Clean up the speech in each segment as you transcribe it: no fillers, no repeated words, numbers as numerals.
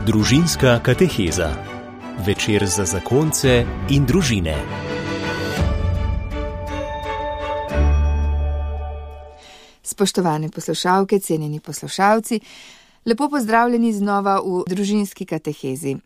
Družinska kateheza. Večer za zakonce in družine. Spoštovane poslušalke, cenjeni poslušalci, lepo pozdravljeni znova v družinski katehezi.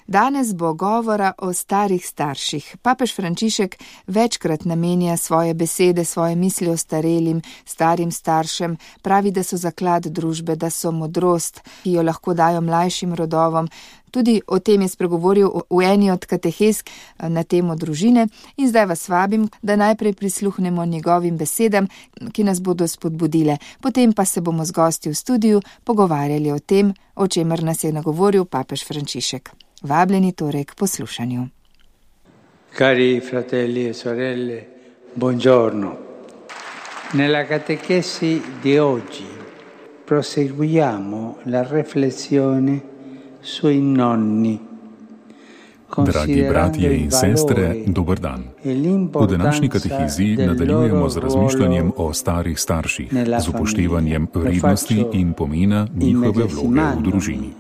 Danes bo govora o starih starših. Papež Frančišek večkrat namenja svoje besede, svoje misli o starelim, starim staršem, pravi, da so zaklad družbe, da so modrost, ki jo lahko dajo mlajšim rodovom. Tudi o tem je spregovoril v eni od katehez na temo družine in zdaj vas vabim, da najprej prisluhnemo njegovim besedam, ki nas bodo spodbudile. Potem pa se bomo z gosti v studiu pogovarjali o tem, o čemer nas je nagovoril papež Frančišek. Vabljeni torej k poslušanju. Cari fratelli e sorelle, buongiorno. Nella catechesi di oggi proseguiamo la riflessione sui nonni. Dragi bratje in sestre, dober dan. V današnji katehezi nadaljujemo z razmišljanjem o starih starših, z upoštevanjem vrednosti in pomena njihove vloge v družini.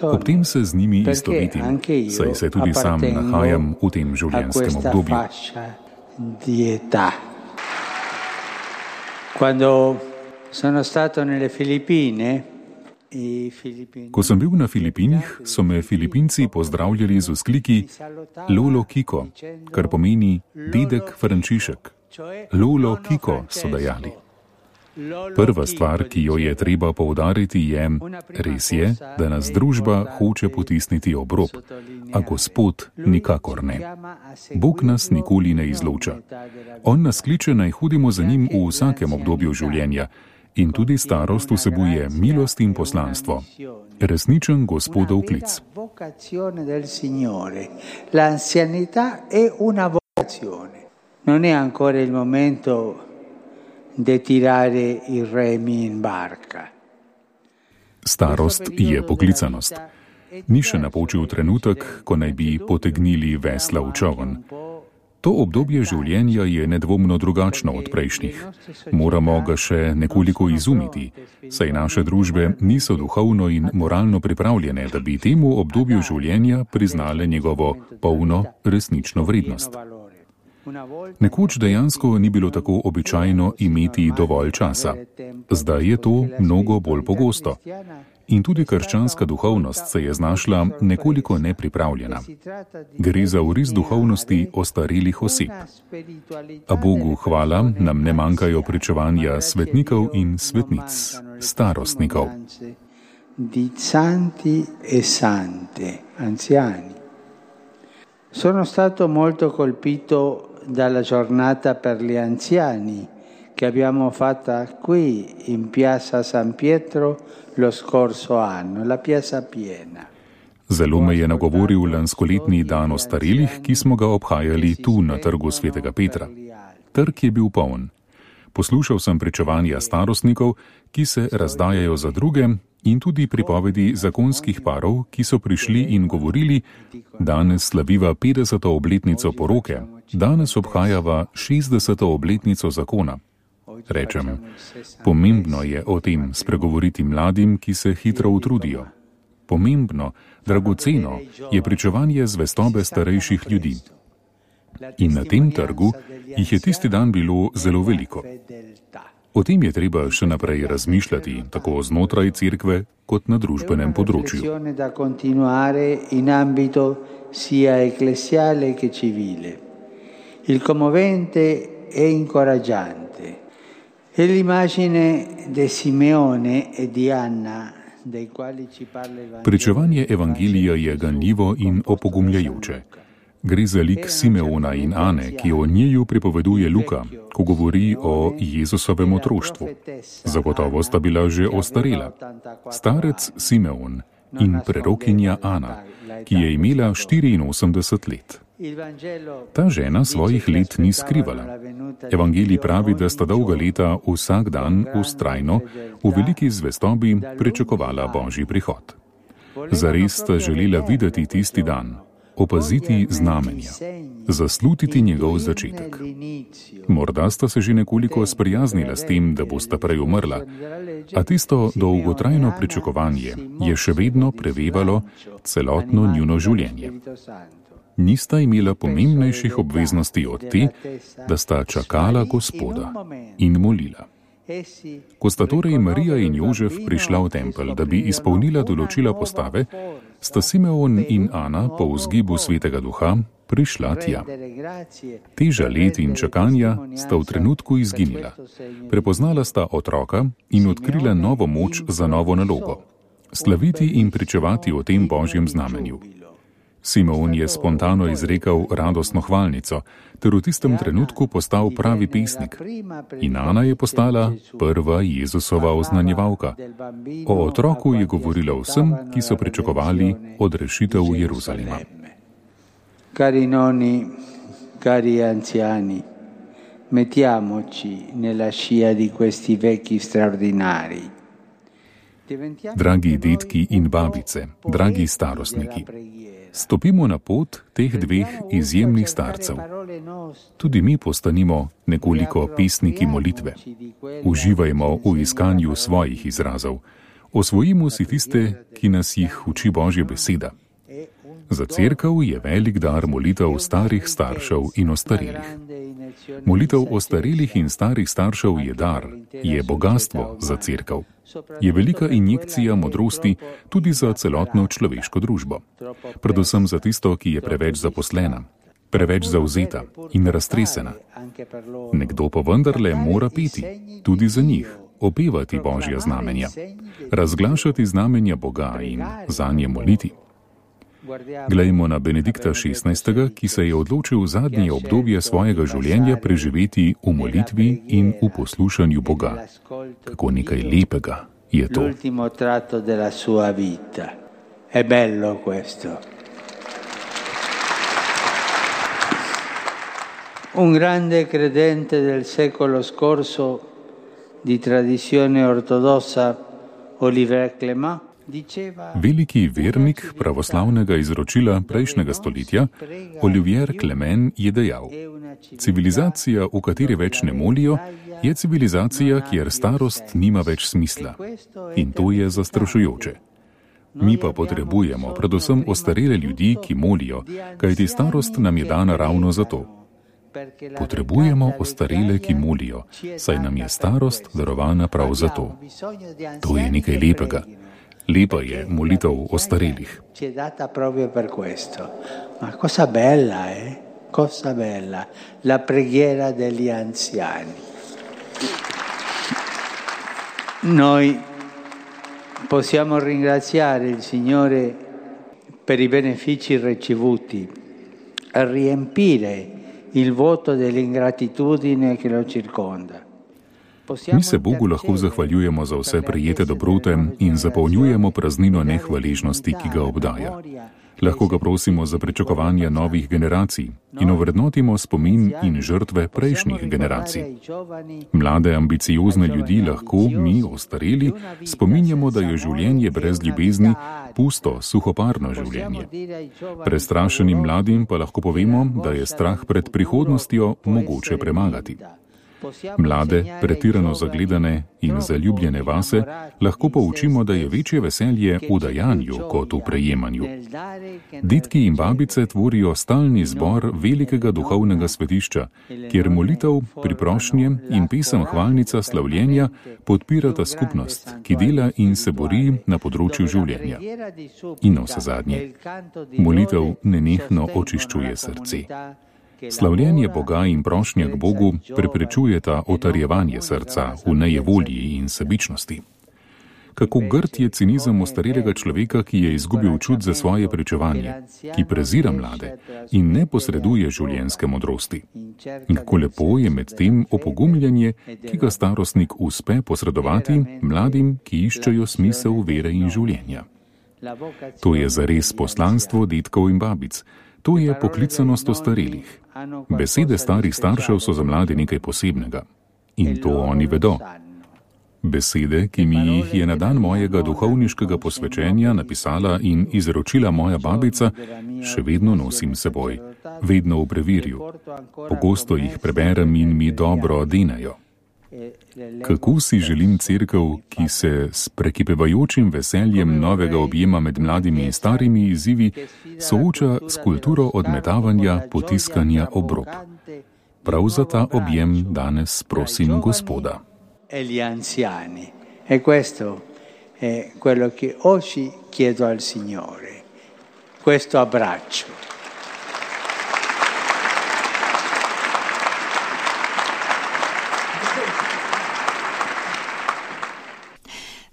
Ob tem se z njimi istovetim, saj se tudi sam nahajam v tem življenjskem obdobju. Quando sono stato nelle Filippine, Ko sem bil na Filipinih, so me Filipinci pozdravljali z vzkliki Lolo Kiko, kar pomeni dedek Frančišek. Lolo Kiko so dejali. Prva stvar, ki jo je treba poudariti, je, res je, da nas družba hoče potisniti ob rob, a Gospod nikakor ne. Bog nas nikoli ne izloča. On nas kliče, naj hodimo za njim v vsakem obdobju življenja. In tudi starost vsebuje milost in poslanstvo. Resničen Gospodov klic. Non è ancora il momento di tirare i remi in barca. Starost je poklicanost. Ni še napočil trenutek, ko naj bi potegnili vesla v čoln. To obdobje življenja je nedvomno drugačno od prejšnjih. Moramo ga še nekoliko izumiti, saj naše družbe niso duhovno in moralno pripravljene, da bi temu obdobju življenja priznale njegovo polno resnično vrednost. Nekoč dejansko ni bilo tako običajno imeti dovolj časa. Zdaj je to mnogo bolj pogosto. In tudi krščanska duhovnost se je znašla nekoliko nepripravljena. Gre za oris duhovnosti ostarelih oseb. A Bogu hvala, nam ne manjkajo pričevanja svetnikov in svetnic, starostnikov. Di santi e sante, anziani. Sono stato molto colpito dalla giornata per gli anziani che abbiamo fatta qui in Piazza San Pietro lo scorso anno, la piazza piena. Zelo me je nagovoril lanskoletni dan ostarelih, ki smo ga obhajali tu na trgu Svetega Petra. Trg je bil poln. Poslušal sem pričevanja starostnikov, ki se razdajajo za druge, in tudi pripovedi zakonskih parov, ki so prišli in govorili: danes slaviva 50. obletnico poroke, danes obhajava 60. obletnico zakona. Rečem, pomembno je o tem spregovoriti mladim, ki se hitro utrudijo. Pomembno, dragoceno je pričevanje zvestobe starejših ljudi. In na tem trgu jih je tisti dan bilo zelo veliko. O tem je treba še naprej razmišljati, tako znotraj cerkve kot na družbenem področju. Il commovente e incoraggiante. E l'immagine di Simeone e di Anna, dei quali ci parla il Vangelo. Pričevanje evangelija je ganljivo in opogumljajoče. Gre za lik Simeona in Ane, ki o njiju pripoveduje Luka, ko govori o Jezusovem otroštvu. Zagotovo sta bila že ostarela. Starec Simeon in prerokinja Ana, ki je imela 84 let. Ta žena svojih let ni skrivala. Evangelij pravi, da sta dolga leta vsak dan vztrajno v veliki zvestobi pričakovala Božji prihod. Zares sta želela videti tisti dan. opaziti znamenja, zaslutiti njegov začetek. Morda sta se že nekoliko sprijaznila s tem, da bosta prej umrla, a tisto dolgotrajno pričakovanje je še vedno prevevalo celotno njuno življenje. Nista imela pomembnejših obveznosti od te, da sta čakala Gospoda in molila. Ko sta torej Marija in Jožef prišla v tempelj, da bi izpolnila določila postave, sta Simeon in Ana po vzgibu Svetega Duha prišla tja. Teža let in čakanja sta v trenutku izginila. Prepoznala sta otroka in odkrila novo moč za novo nalogo. Slaviti in pričevati o tem božjem znamenju. Simeon je spontano izrekel radostno hvalnico, ter v tistem trenutku postal pravi pesnik. In Ana je postala prva Jezusova oznanjevalka. O otroku je govorila vsem, ki so pričakovali odrešitev Jeruzalema. Cari nonni, cari anziani, mettiamoci nella scia di questi vecchi straordinari. Dragi detki in babice, dragi starostniki, stopimo na pot teh dveh izjemnih starcev. Tudi mi postanimo nekoliko pesniki molitve. Uživajmo v iskanju svojih izrazov. Osvojimo si tiste, ki nas jih uči Božja beseda. Za cerkev je velik dar molitev starih staršev in ostarelih. Molitev ostarelih in starih staršev je dar, je bogastvo za cerkev. Je velika injekcija modrosti tudi za celotno človeško družbo. Predvsem za tisto, ki je preveč zaposlena, preveč zavzeta in raztresena. Nekdo pa vendarle mora peti, tudi za njih, opevati Božja znamenja, razglašati znamenja Boga in zanje moliti. Glejmo na Benedikta XVI., ki se je odločil zadnje obdobje svojega življenja preživeti v molitvi in v poslušanju Boga. Kako nekaj lepega je to. L'ultimo tratto della sua vita. È bello questo. Un grande credente del secolo scorso di tradizione ortodossa, Olivier Clément, veliki vernik pravoslavnega izročila prejšnjega stoletja, Olivier Clément, je dejal: civilizacija, v kateri več ne molijo, je civilizacija, kjer starost nima več smisla. In to je zastrašujoče. Mi pa potrebujemo predvsem ostarele ljudi, ki molijo, kajti starost nam je dana ravno zato. Potrebujemo ostarele, ki molijo, saj nam je starost darovana prav zato. To je nekaj lepega. Lepa je molitev ostarelih. Ci è data proprio per questo. Ma cosa bella, Cosa bella. La preghiera degli anziani. Noi possiamo ringraziare il Signore per i benefici ricevuti e riempire il vuoto dell'ingratitudine che lo circonda. Mi se Bogu lahko zahvaljujemo za vse prejete dobrote in zapolnjujemo praznino nehvaležnosti, ki ga obdaja. Lahko ga prosimo za pričakovanje novih generacij in ovrednotimo spomin in žrtve prejšnjih generacij. Mlade, ambiciozne ljudi lahko mi, ostareli, spominjamo, da je življenje brez ljubezni pusto, suhoparno življenje. Prestrašenim mladim pa lahko povemo, da je strah pred prihodnostjo mogoče premagati. Mlade, pretirano zagledane in zaljubljene vase, lahko poučimo, da je večje veselje v dajanju kot v prejemanju. Detki in babice tvorijo stalni zbor velikega duhovnega svetišča, kjer molitev, priprošnje in pesem hvalnica slavljenja podpirata skupnost, ki dela in se bori na področju življenja. In navsezadnje, molitev nenehno očiščuje srce. Slavljenje Boga in prošnja k Bogu preprečujeta otarjevanje srca v nejevolji in sebičnosti. Kako grd je cinizem ostarelega človeka, ki je izgubil čut za svoje pričevanje, ki prezira mlade in ne posreduje življenjske modrosti. In kako lepo je med tem opogumljanje, ki ga starostnik uspe posredovati mladim, ki iščejo smisel vere in življenja. To je zares poslanstvo detkov in babic. To je poklicanost ostarelih. Besede starih staršev so za mlade nekaj posebnega. In to oni vedo. Besede, ki mi jih je na dan mojega duhovniškega posvečenja napisala in izročila moja babica, še vedno nosim seboj, vedno v preverju. Pogosto jih preberem in mi dobro denajo. Kako si želim cerkev, ki se s prekipevajočim veseljem novega objema med mladimi in starimi izzivi sooča s kulturo odmetavanja, potiskanja ob rob. Prav za ta objem danes prosim Gospoda. E gli anziani. E questo è quello che oggi chiedo al Signore. Questo abbraccio.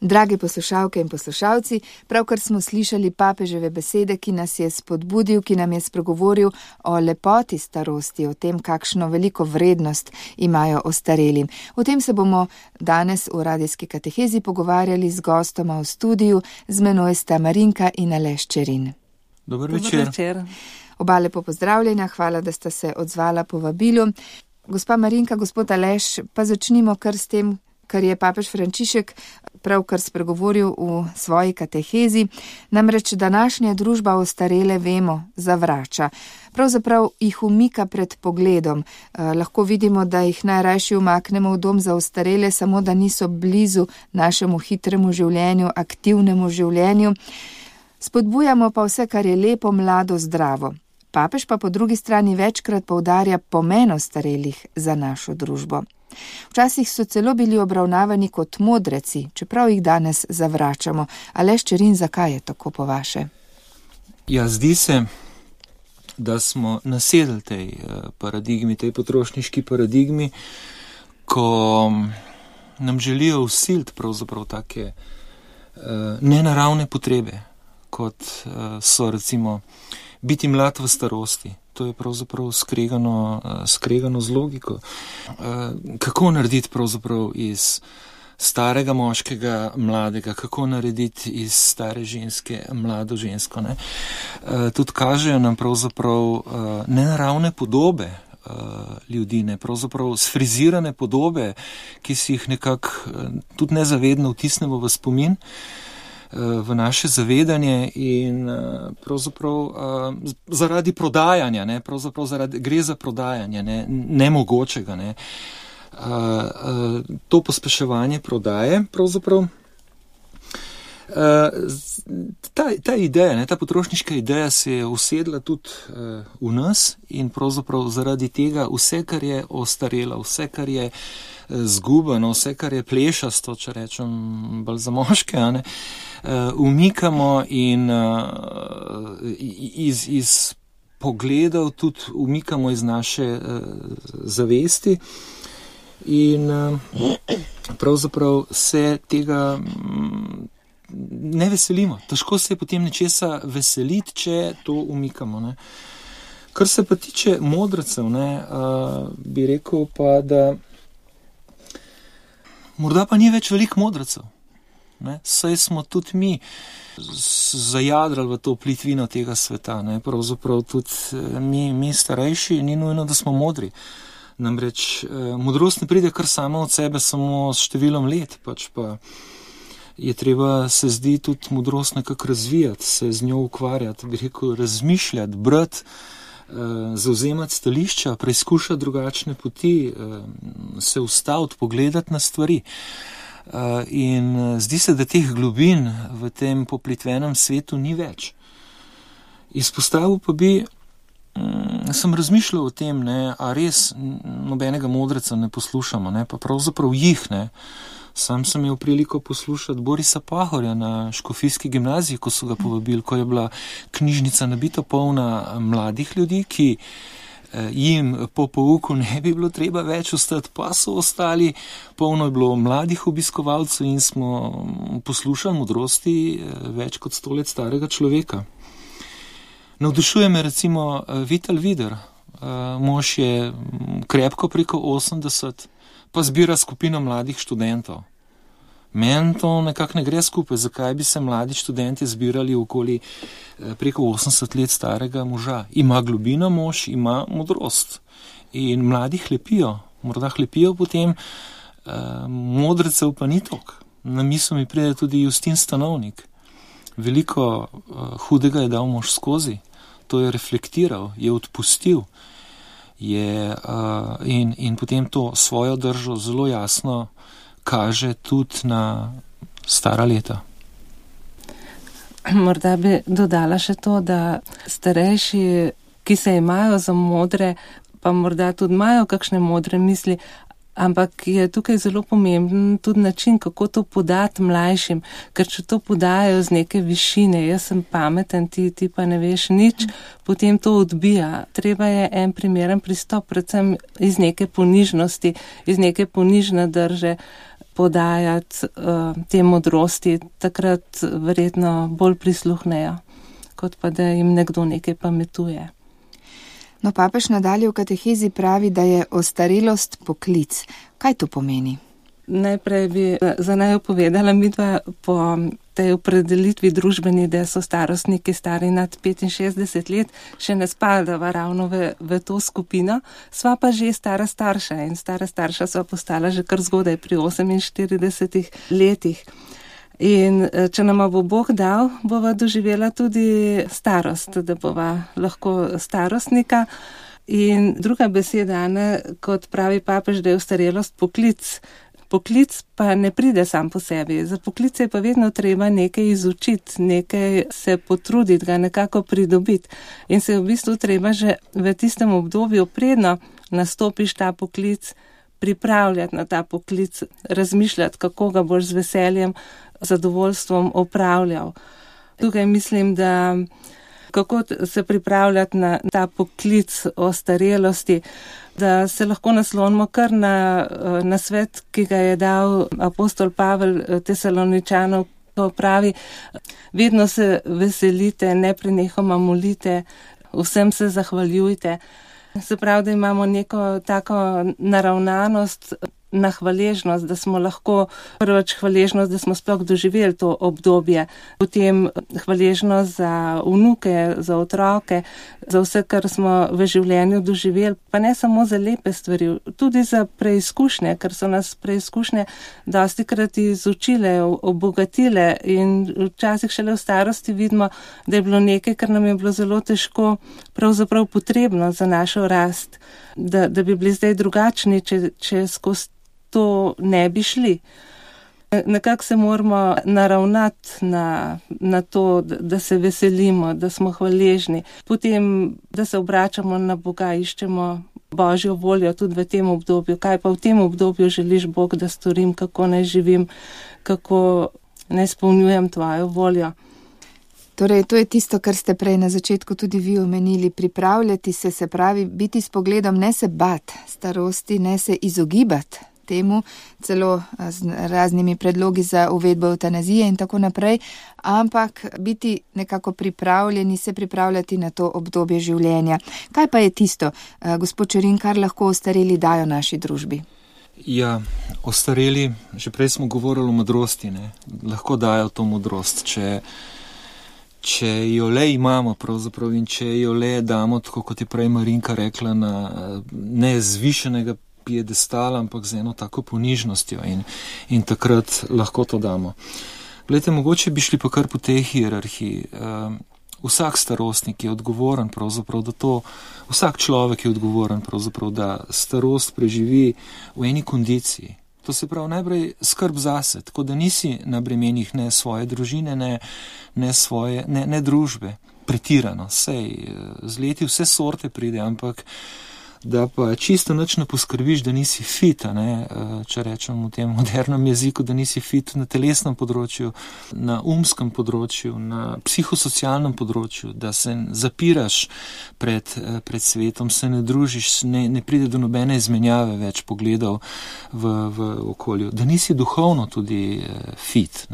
Drage poslušalke in poslušalci, pravkar smo slišali papeževe besede, ki nas je spodbudil, ki nam je spregovoril o lepoti starosti, o tem, kakšno veliko vrednost imajo ostareli. O tem se bomo danes v radijski katehezi pogovarjali z gostoma v studiu, z menoj sta Marinka in Aleš Čerin. Dober večer. Oba lepo pozdravljena, hvala, da sta se odzvala povabilu. Gospa Marinka, gospod Aleš, pa začnimo kar s tem, kar je papež Frančišek pravkar spregovoril v svoji katehezi, namreč današnja družba ostarele, vemo, zavrača. Pravzaprav jih umika pred pogledom. Lahko vidimo, da jih najrajši umaknemo v dom za ostarele, samo da niso blizu našemu hitremu življenju, aktivnemu življenju. Spodbujamo pa vse, kar je lepo, mlado, zdravo. Papež pa po drugi strani večkrat poudarja pomen ostarelih za našo družbo. Včasih so celo bili obravnavani kot modreci, čeprav jih danes zavračamo. Aleš Čerin, zakaj je tako po vaše? Ja, zdi se, da smo nasedli tej paradigmi, tej potrošniški paradigmi, ko nam želijo vsiliti pravzaprav take nenaravne potrebe, kot so recimo biti mlad v starosti. To je pravzaprav skregano z logiko. Kako narediti pravzaprav iz starega moškega mladega, kako narediti iz stare ženske mlado žensko. Ne? Tudi kažejo nam pravzaprav nenaravne podobe ljudi, ne? Pravzaprav sfrizirane podobe, ki si jih nekako tudi nezavedno vtisnemo v spomin, v naše zavedanje in pravzaprav zaradi prodajanja, ne, pravzaprav gre za prodajanje, ne, nemogočega, ne. To pospeševanje prodaje, pravzaprav ta ideja, ne, ta potrošniška ideja se je usedla tudi v nas in pravzaprav zaradi tega vse, kar je ostarelo, vse, kar je zgubano, vse, kar je plešasto, če rečem bolj za moške, ne, umikamo in iz pogledov tudi umikamo iz naše zavesti in pravzaprav se tega ne veselimo. Težko se je potem nečesa veseliti, če to umikamo. Ne. Kar se pa tiče modrecev, ne, bi rekel pa, da morda pa ni več veliko modrecev. Ne. Saj smo tudi mi zajadrali v to plitvino tega sveta. Ne. Pravzaprav tudi mi starejši, ni nujno, da smo modri. Namreč modrost ne pride kar sama od sebe, samo s številom let, pač pa je treba, se zdi, tudi modrost nekako razvijati, se z njo ukvarjati, bi rekel, razmišljati, brati, zauzemati stališča, preizkušati drugačne poti, se ustaviti, pogledati na stvari. In zdi se, da teh globin v tem poplitvenem svetu ni več. Izpostavil pa bi, sem razmišljal o tem, ne, a res nobenega modreca ne poslušamo, ne, pa pravzaprav jih, ne. Sam sem imel priliko poslušati Borisa Pahorja na Škofijski gimnaziji, ko so ga povabili, ko je bila knjižnica nabito polna mladih ljudi, ki jim po pouku ne bi bilo treba več ostati, pa so ostali, polno je bilo mladih obiskovalcev in smo poslušali modrosti več kot 100 let starega človeka. Navdušuje me recimo Vital Vider, mož je krepko preko 80, pa zbira skupino mladih študentov. Meni to nekako ne gre skupaj, zakaj bi se mladi študenti zbirali okoli preko 80 let starega moža. Ima globino mož, ima modrost. In mladi hlepijo, morda hlepijo potem Modrecev pa ni toliko. Na misel mi pride tudi Justin Stanovnik. Veliko hudega je dal mož skozi, to je reflektiral, je odpustil in potem to svojo držo zelo jasno kaže tudi na stara leta. Morda bi dodala še to, da starejši, ki se imajo za modre, pa morda tudi imajo kakšne modre misli, ampak je tukaj zelo pomemben tudi način, kako to podati mlajšim, ker če to podajo z neke višine, jaz sem pameten, ti pa ne veš nič, potem to odbija. Treba je en primeren pristop, predvsem iz neke ponižnosti, iz neke ponižne drže podajati te modrosti, takrat verjetno bolj prisluhnejo, kot pa da jim nekdo nekaj pametuje. No, papež nadalje v katehezi pravi, da je ostarelost poklic. Kaj to pomeni? Najprej bi za naju povedala midva po tej opredelitvi družbeni, da so starostniki stari nad 65 let, še ne spadava ravno v to skupino, sva pa že stara starša in stara starša sva postala že kar zgodaj pri 48 letih. In če nama bo Bog dal, bova doživela tudi starost, da bova lahko starostnika. In druga beseda, kot pravi papež, da je ostarelost poklic. Poklic pa ne pride sam po sebi. Za poklice je pa vedno treba nekaj izučiti, nekaj se potruditi, ga nekako pridobiti. In se je v bistvu treba že v tistem obdobju, predno nastopiš ta poklic, pripravljati na ta poklic, razmišljati, kako ga boš z veseljem, zadovoljstvom opravljal. Tukaj mislim, da kako se pripravljati na ta poklic ostarelosti, da se lahko naslonimo kar na svet, ki ga je dal apostol Pavel Tesaloničanov, ko pravi, vedno se veselite, neprenehoma molite, vsem se zahvaljujte. Se pravi, da imamo neko tako naravnanost, na hvaležnost, da smo lahko prvič hvaležnost, da smo sploh doživeli to obdobje, potem hvaležnost za vnuke, za otroke, za vse, kar smo v življenju doživeli, pa ne samo za lepe stvari, tudi za preizkušnje, ker so nas preizkušnje dostikrat izučile, obogatile in včasih šele v starosti vidimo, da je bilo nekaj, kar nam je bilo zelo težko, pravzaprav potrebno za našo rast, da bi bili zdaj drugačni, če skozi to ne bi šli. Nekako se moramo naravnati na to, da se veselimo, da smo hvaležni. Potem, da se obračamo na Boga, iščemo Božjo voljo tudi v tem obdobju. Kaj pa v tem obdobju želiš, Bog, da storim, kako naj živim, kako naj izpolnjujem tvojo voljo. Torej, to je tisto, kar ste prej na začetku tudi vi omenili, pripravljati se pravi, biti s pogledom, ne se bat starosti, ne se izogibati temu, celo z raznimi predlogi za uvedbo evtanazije in tako naprej, ampak biti nekako pripravljeni, se pripravljati na to obdobje življenja. Kaj pa je tisto, gospod Čerin, kar lahko ostareli dajo naši družbi? Ja, ostareli, že prej smo govorili o modrosti, ne? Lahko dajo to modrost, če jo le imamo pravzaprav in če jo le damo, tako kot je prej Marinka rekla, na nezvišenega piedestala, ampak z eno tako ponižnostjo in takrat lahko to damo. Glejte, mogoče bi šli pa kar po tej hierarhiji. Vsak starostnik je odgovoren pravzaprav, vsak človek je odgovoren pravzaprav, da starost preživi v eni kondiciji. To se pravi najprej skrb zase, tako da nisi na bremenih ne svoje družine, ne družbe, pretirano, sej z leti vse sorte pride, ampak da pa čisto nič ne poskrbiš, da nisi fit, če rečem v tem modernem jeziku, da nisi fit na telesnem področju, na umskem področju, na psihosocialnem področju, da se zapiraš pred svetom, se ne družiš, ne pride do nobene izmenjave več pogledov v okolju, da nisi duhovno tudi fit.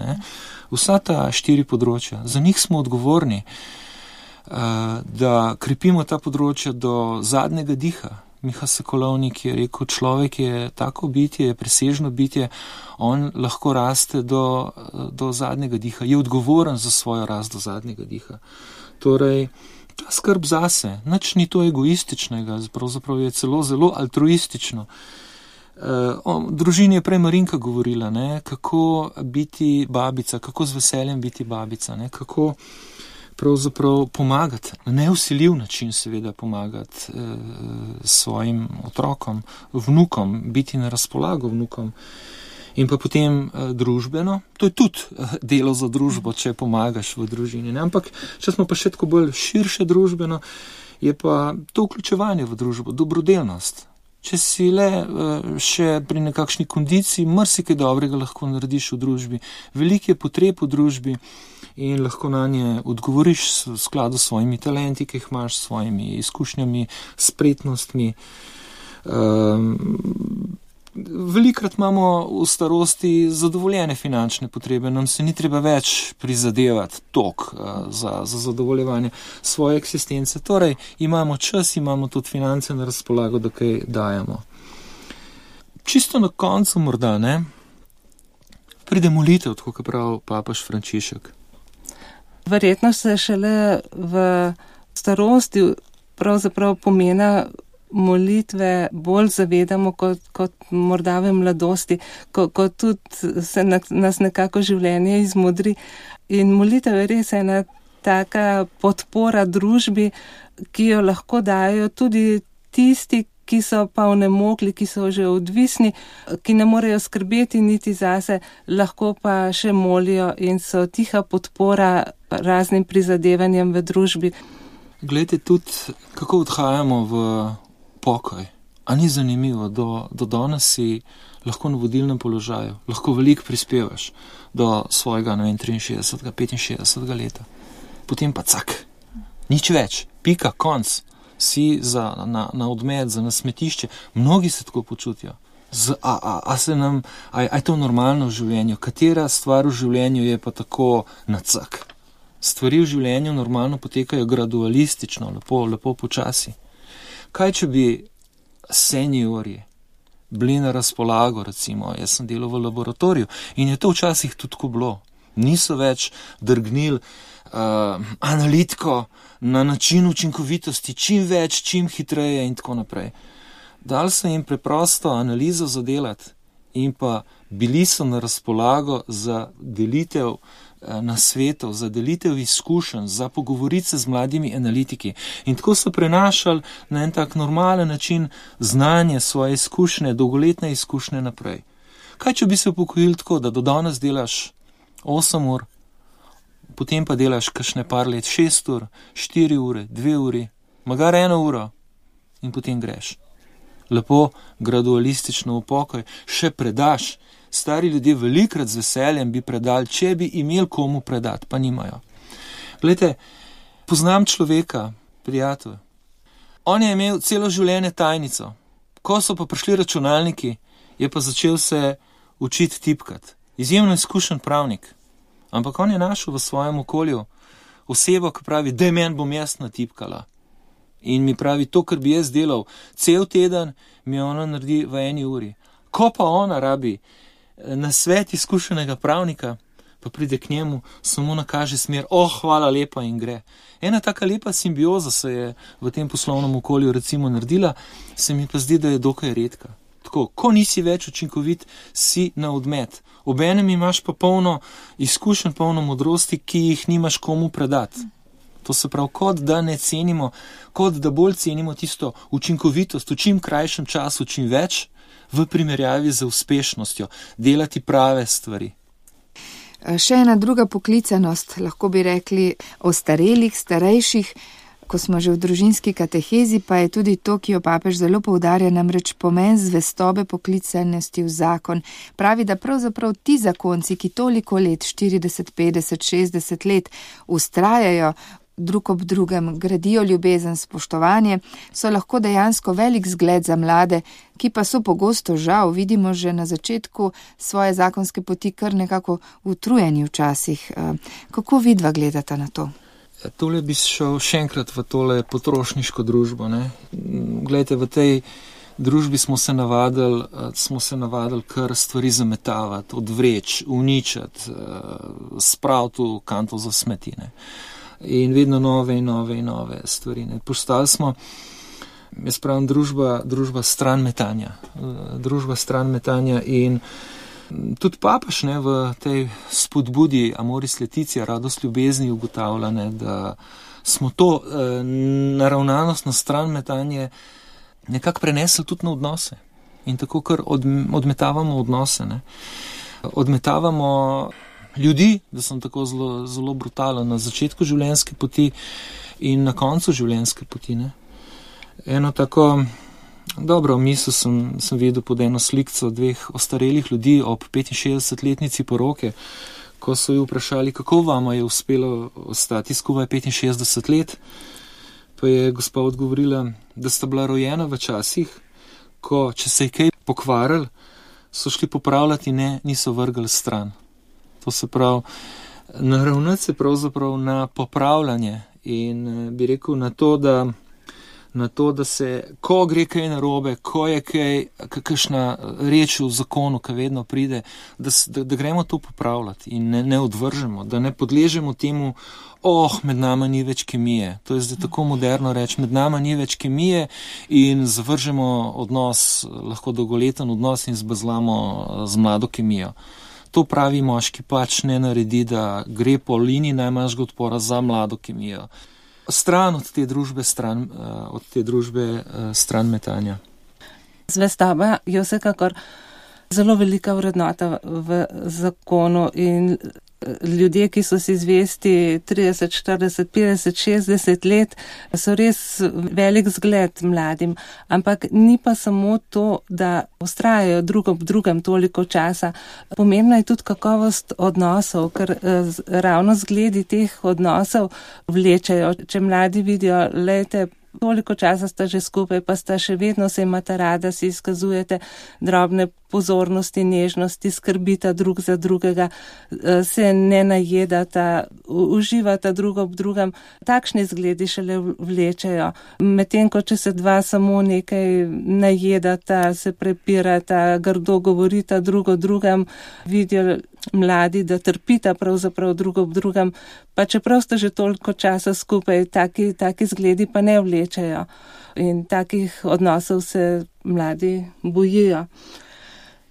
Vsa ta 4 področja, za njih smo odgovorni, da krepimo ta področja do zadnjega diha. Miha Sokolovnik je rekel, človek je tako bitje, je presežno bitje, on lahko raste do zadnjega diha, je odgovoren za svojo rast do zadnjega diha. Torej, ta skrb zase, nič ni to egoističnega, pravzaprav je celo zelo altruistično. Družini je prej Marinka govorila, ne, kako biti babica, kako z veseljem biti babica, ne, kako pravzaprav pomagati, na neusiljiv način seveda pomagati svojim otrokom, vnukom, biti na razpolago vnukom. In pa potem družbeno, to je tudi delo za družbo, če pomagaš v družini. Ne? Ampak, če smo pa še tako bolj širše družbeno, je pa to vključevanje v družbo, dobrodelnost. Če si le še pri nekakšni kondiciji, marsikaj dobrega lahko narediš v družbi. Veliko je potreb v družbi in lahko na nje odgovoriš v skladu s svojimi talenti, ki jih imaš, s svojimi izkušnjami, spretnostmi. Velikrat imamo v starosti zadovoljene finančne potrebe, nam se ni treba več prizadevati za zadovoljevanje svoje eksistence. Torej, imamo čas, imamo tudi finance na razpolago, da kaj dajemo. Čisto na koncu morda, ne, pride molitev, tako kot pravi papež Frančišek. Verjetno se šele v starosti pravzaprav pomena molitve bolj zavedamo kot morda v mladosti, ko tudi se nas nekako življenje izmodri. In molitev je res ena taka podpora družbi, ki jo lahko dajo tudi tisti, ki so pa onemogli, ki so že odvisni, ki ne morejo skrbeti niti zase, lahko pa še molijo in so tiha podpora raznim prizadevanjem v družbi. Glejte tudi, kako odhajamo v pokoj. A ni zanimivo, do danes si lahko na vodilnem položaju, lahko veliko prispevaš do svojega, 63, 65 leta. Potem pa cak, nič več, pika, konc, si na odmet, za nasmetišče. Mnogi se tako počutijo. A je to normalno v življenju? Katera stvar v življenju je pa tako na cak? Stvari v življenju normalno potekajo gradualistično, lepo počasi. Kaj, če bi seniorji bili na razpolago, recimo, jaz sem delal v laboratoriju in je to včasih tudi tako bilo. Niso več drgnili analitiko na način učinkovitosti, čim več, čim hitreje in tako naprej. Dali so jim preprosto analizo zadelati in pa bili so na razpolago za delitev nasvetov, za delitev izkušenj, za pogovoriti se z mladimi analitiki. In tako so prenašali na en tak normalen način znanje, svoje izkušnje, dolgoletne izkušnje naprej. Kaj, če bi se upokojili tako, da do danes delaš 8 ur, potem pa delaš kakšne par let 6 ur, 4 ure, 2 uri, magar 1 uro in potem greš. Lepo, gradualistično v pokoj, še predaš. Stari ljudje velikrat z veseljem bi predali, če bi imeli komu predati, pa nimajo. Glejte, poznam človeka, prijatelj. On je imel celo življenje tajnico. Ko so pa prišli računalniki, je pa začel se učiti tipkati. Izjemno izkušen pravnik. Ampak on je našel v svojem okolju osebo, ki pravi, da meni bom jaz natipkala. In mi pravi, to, kar bi jaz delal cel teden, mi ona naredi v 1 uri. Ko pa ona rabi na svet izkušenega pravnika, pa pride k njemu, samo nakaže smer, hvala lepa in gre. Ena taka lepa simbioza se je v tem poslovnem okolju recimo naredila, se mi pa zdi, da je dokaj redka. Tako, ko nisi več učinkovit, si na odmet. Obenem imaš pa polno izkušenj, polno modrosti, ki jih nimaš komu predati. To se pravi, kot da ne cenimo, kot da bolj cenimo tisto učinkovitost v čim krajšem času, čim več, v primerjavi z uspešnostjo, delati prave stvari. Še ena druga poklicanost, lahko bi rekli, ostarelih, starejših, ko smo že v družinski katehezi, pa je tudi to, ki jo papež zelo poudarja, namreč pomen zvestobe poklicanosti v zakon. Pravi, da pravzaprav ti zakonci, ki toliko let, 40, 50, 60 let, ustrajajo drug ob drugem, gradijo ljubezen, spoštovanje, so lahko dejansko velik zgled za mlade, ki pa so pogosto žal, vidimo že na začetku svoje zakonske poti, kar nekako utrujeni včasih. Kako vidva gledata na to? Tole bi šel še enkrat v tole potrošniško družbo. Ne? Glejte, v tej družbi smo se navadili kar stvari zametavati, odvreč, uničiti, spraviti v kanto za smeti. Ne? In vedno nove stvari. Ne. Postali smo Jaz pravim družba stran metanja. Družba stran metanja in tudi papež v tej spodbudi Amoris Laetitia, radost ljubezni, ugotavlja, da smo to naravnanost na stran metanje nekako prenesli tudi na odnose. In tako kar odmetavamo odnose. Odmetavamo ljudi, da sem tako zelo, zelo brutalen, na začetku življenjske poti in na koncu življenjske poti. Eno tako dobro misel sem videl pod eno slikco dveh ostarelih ljudi ob 65-letnici poroke, ko so ju vprašali, kako vama je uspelo ostati skupaj 65 let, pa je gospa odgovorila, da sta bila rojena v časih, ko, če se je kaj pokvaril, so šli popravljati in niso vrgli stran. To se pravi, naravnati se pravzaprav na popravljanje in bi rekel na to, da se, ko gre kaj narobe, ko je kakšna reč v zakonu, ki vedno pride, da gremo to popravljati in ne odvržemo, da ne podležemo temu, med nama ni več kemije. To je zdaj tako moderno reči, med nama ni več kemije in zavržemo odnos, lahko dolgoleten odnos in zbazlamo z mlado kemijo. To pravi moški pač ne naredi, da gre po liniji najmanjšega odpora za mlado kemijo. Stran od te družbe, stran metanja. Zvestoba je vsekakor zelo velika vrednota v zakonu in ljudje, ki so si zvesti 30, 40, 50, 60 let, so res velik zgled mladim. Ampak ni pa samo to, da vztrajajo drug ob drugem toliko časa. Pomembna je tudi kakovost odnosov, ker ravno zgledi teh odnosov vlečejo. Če mladi vidijo, lejte, toliko časa sta že skupaj, pa sta še vedno se imata rada, si izkazujete drobne pozornosti, nežnosti, skrbita drug za drugega, se ne najedata, uživata drug ob drugem. Takšni zgledi šele vlečejo. Medtem, ko če se dva samo nekaj najedata, se prepirata, grdo govorita drug o drugem, vidijo mladi, da trpita pravzaprav drug ob drugem, pa čeprav sta že toliko časa skupaj, taki zgledi pa ne vlečejo. In takih odnosov se mladi bojijo.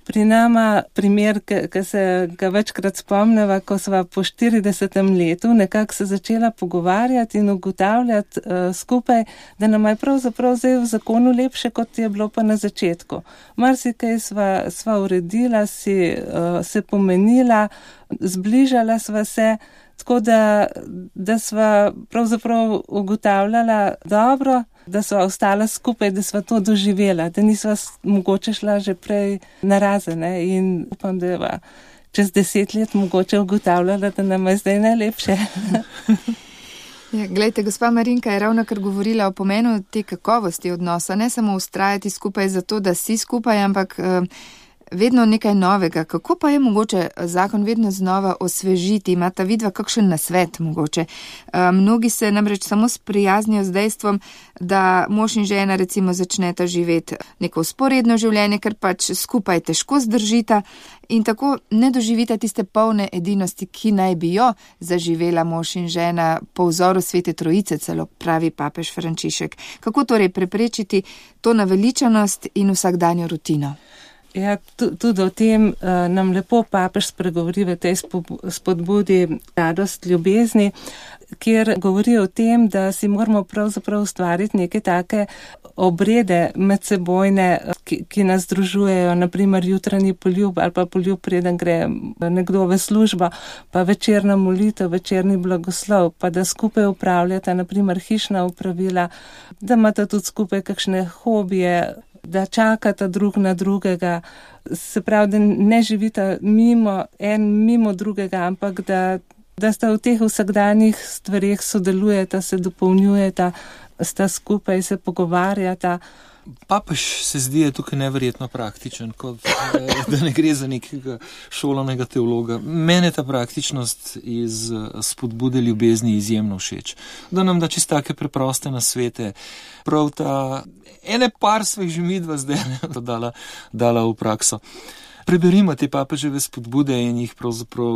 Pri nama primer, ki se ga večkrat spomneva, ko sva po 40. letu nekako se začela pogovarjati in ugotavljati skupaj, da nam je pravzaprav zdaj v zakonu lepše, kot je bilo pa na začetku. Marsikaj sva uredila, se pomenila, zbližala sva se, tako da sva pravzaprav ugotavljala dobro, da sva ostala skupaj, da sva to doživela, da nisva mogoče šla že prej narazen in upam, da je čez 10 let mogoče ugotavljala, da nam je zdaj najlepše. Ja, glejte, gospa Marinka je ravno kar govorila o pomenu te kakovosti odnosa, ne samo ustrajati skupaj zato, da si skupaj, ampak vedno nekaj novega. Kako pa je mogoče zakon vedno znova osvežiti? Imata vidva kakšen nasvet mogoče? Mnogi se namreč samo sprijaznijo z dejstvom, da mož in žena recimo začneta živeti neko vzporedno življenje, ker pač skupaj težko zdržita in tako ne doživita tiste polne edinosti, ki naj bi jo zaživela mož in žena po vzoru Svete Trojice, celo pravi papež Frančišek. Kako torej preprečiti to naveličanost in vsakdanjo rutino? Ja, tudi o tem nam lepo papež spregovori v tej spodbudi radost ljubezni, kjer govori o tem, da si moramo pravzaprav ustvariti neke take obrede medsebojne, ki nas združujejo, naprimer jutranji poljub ali pa poljub, preden gre nekdo v službo, pa večerna molitev, večerni blagoslov, pa da skupaj upravljata naprimer hišna opravila, da imata tudi skupaj kakšne hobije, da čakata drug na drugega, se pravi, da ne živita mimo drugega, ampak da sta v teh vsakdanjih stvareh sodelujeta, se dopolnjujeta, sta skupaj, se pogovarjata. Papež se zdi je tukaj neverjetno praktičen, kot da ne gre za nekega šolanega teologa. Mene ta praktičnost iz spodbude ljubezni izjemno všeč. Da nam da čisto take preproste nasvete. Prav ta ene par svojih že midva zdaj dala v prakso. Preberimo te papeževe spodbude in jih pravzaprav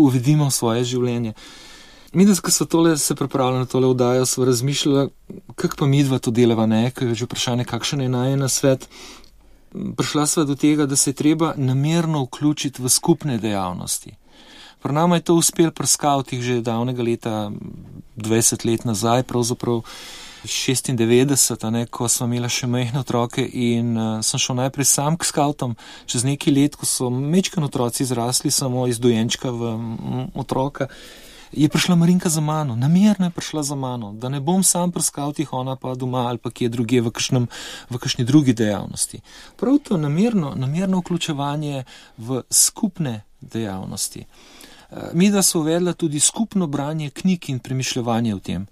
uvedimo v svoje življenje. Mi, da ko se pripravljali na tole oddajo, smo razmišljali, kako pa midva to delava, ne, ker je že vprašanje, kakšen je najen svet. Prišla sva do tega, da se je treba namerno vključiti v skupne dejavnosti. Pri nama je to uspel pri skavtih že davnega leta, 20 let nazaj, pravzaprav 96, ne, ko smo imeli še majhne otroke in sem šel najprej sam k skavtom. Čez nekaj let, ko so mečkani otroci zrasli samo iz dojenčka v otroka, je prišla Marinka za mano, namerno je prišla za mano, da ne bom sam pri skavtih, ona pa doma ali pa kje druge v kakšni drugi dejavnosti. Prav to namerno vključevanje v skupne dejavnosti. Mi da so uvedla tudi skupno branje knjig in premišljevanje o tem.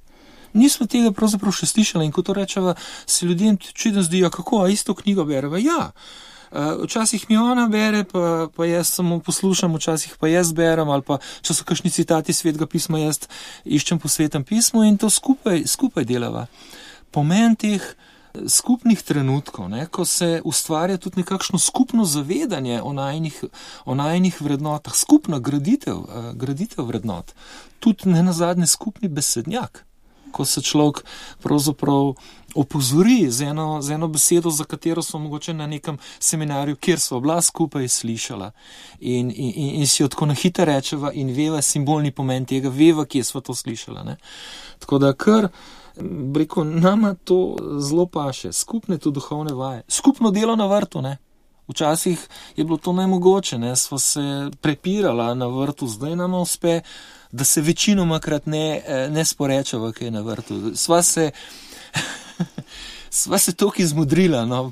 Nismo tega pravzaprav še slišali in ko to rečeva, se ljudem čudno zdijo, kako, a isto knjigo bereva? Ja. Včasih mi ona bere, pa jaz samo poslušam, včasih pa jaz berem, ali pa če so kakšni citati Svetega pisma, jaz iščem po Svetem pismu in to skupaj delava. Pomen teh skupnih trenutkov, ne, ko se ustvarja tudi nekakšno skupno zavedanje o najinih vrednotah, skupna graditev vrednot, tudi nenazadnje skupni besednjak, ko se človek pravzaprav opozori z eno besedo, za katero smo mogoče na nekem seminarju, kjer smo bila skupaj slišala in si jo tako na hitro rečeva in veva simbolni pomen tega, veva, kje smo to slišala. Ne. Tako da kar rekel, nama to zelo paše, skupne to duhovne vaje, skupno delo na vrtu, ne. Včasih je bilo to nemogoče, ne, smo se prepirala na vrtu, zdaj nama uspe, da se večinomakrat ne sporečava, kaj je na vrtu. Sva se toliko izmudrila, no.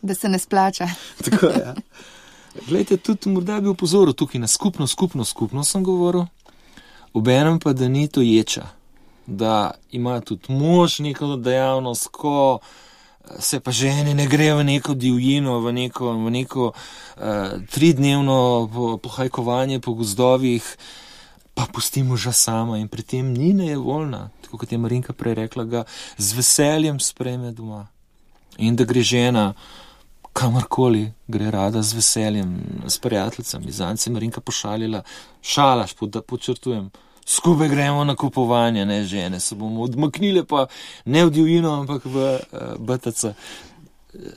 Da se ne splača. Tako, ja. Glejte, tudi morda bi upozoril tukaj na skupno sem govoril, obenem pa, da ni to ječa, da ima tudi mož neko dejavnost, ko se pa žene ne gre v neko divjino, v neko 3-dnevno pohajkovanje po gozdovih, pa pusti moža sama in pri tem ni nejevoljna, tako kot je Marinka prej rekla, ga z veseljem sprejme doma. In da gre žena kamorkoli, gre rada z veseljem, s prijateljicami. Zanj se Marinka pošalila, šalaš, podčrtujem, skupaj gremo na kupovanje, ne žene, se bomo odmaknile pa ne v divjino, ampak v BTC.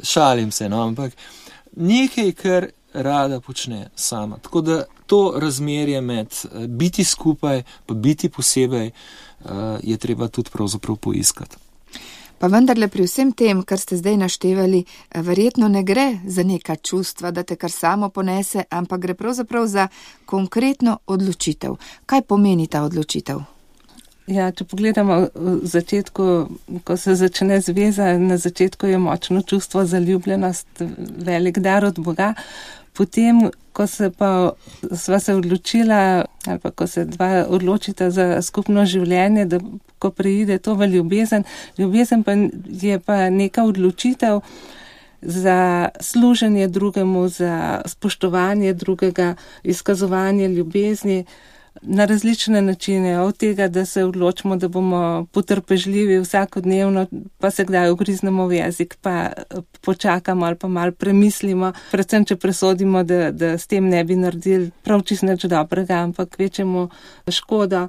Šalim se, no, ampak nekaj, kar rada počne sama. Tako da to razmerje med biti skupaj, pa biti posebej, je treba tudi pravzaprav poiskati. Pa vendarle pri vsem tem, kar ste zdaj naštevali, verjetno ne gre za neka čustva, da te kar samo ponese, ampak gre pravzaprav za konkretno odločitev. Kaj pomeni ta odločitev? Ja, če pogledamo v začetku, ko se začne zveza, na začetku je močno čustvo zaljubljenost, velik dar od Boga. Potem, ko sva se odločila, ali pa ko se dva odločita za skupno življenje, da ko preide to v ljubezen pa je pa neka odločitev za služenje drugemu, za spoštovanje drugega, izkazovanje ljubezni na različne načine, od tega, da se odločimo, da bomo potrpežljivi vsakodnevno, pa se kdaj ugriznemo v jezik, pa počakamo ali pa malo premislimo, predvsem, če presodimo, da s tem ne bi naredili prav čisto nič dobrega, ampak večjemu škodo,